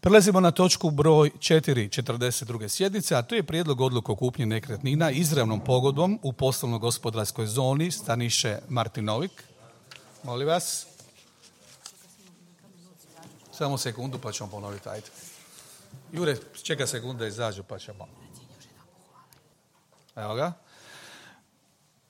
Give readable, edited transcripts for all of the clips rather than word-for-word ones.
Prelazimo na točku broj 4 42. sjednice, a to je prijedlog odluke o kupnji nekretnina izravnom pogodbom u poslovno-gospodarskoj zoni Staniše Martinovik. Molim vas. Samo sekundu pa ćemo ponoviti, ajde. Jure, čeka sekunde izađu pa ćemo. Evo ga.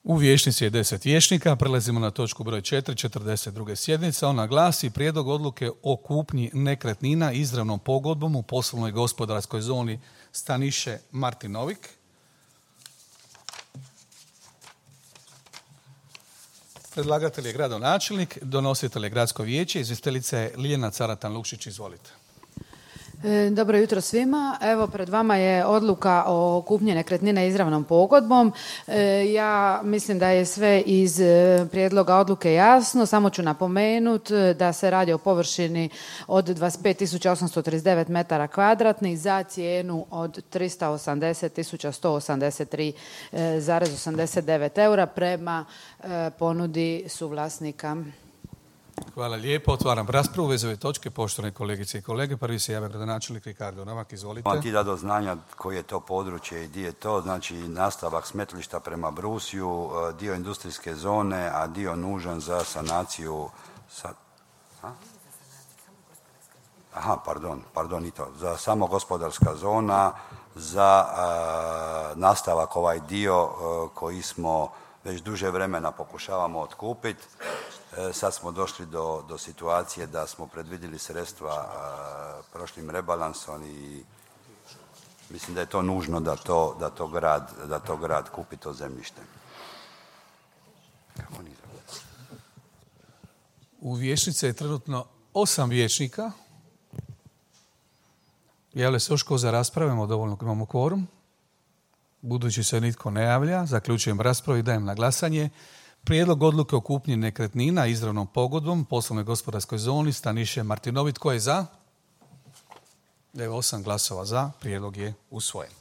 U vijećnici je 10 vijećnika. Prelazimo na točku broj 4 42. sjednice. Ona glasi prijedlog odluke o kupnji nekretnina izravnom pogodbom u poslovnoj gospodarskoj zoni Staniše Martinovik. Predlagatelj je gradonačelnik, donositelj je gradsko vijeće, izvjestiteljica je Ljiljana Caratan-Lukšić. Izvolite. Dobro jutro svima. Evo, pred vama je odluka o kupnji nekretnine izravnom pogodbom. Ja mislim da je sve iz prijedloga odluke jasno. Samo ću napomenuti da se radi o površini od 25.839 metara kvadratnih za cijenu od 380.183,89 eura prema ponudi suvlasnika. Hvala lijepo. Otvaram raspravu vezove ove točke. Poštovane kolegice i kolege, prvi se javlja gradonačelnik Ricardo Novak. Izvolite. Vam ti da do znanja koje je to područje i gdje je to, znači nastavak smetlišta prema Brusiju, dio industrijske zone, a dio nužan za sanaciju. Pardon, i to. Za samo gospodarska zona, za nastavak ovaj dio koji smo već duže vremena pokušavamo otkupiti. Sad smo došli do situacije da smo predvidjeli sredstva prošlim rebalansom i mislim da je to nužno da to grad kupi to zemljište. U vijećnici je trenutno 8 vijećnika. Javlja se još ko za raspravimo, dovoljno imamo kvorum. Budući se nitko ne javlja, zaključujem raspravu i dajem na glasanje prijedlog odluke o kupnji nekretnina izravnom pogodbom poslovnoj gospodarskoj zoni Staniše Martinovik. Tko je za? Evo 8 glasova za. Prijedlog je usvojen.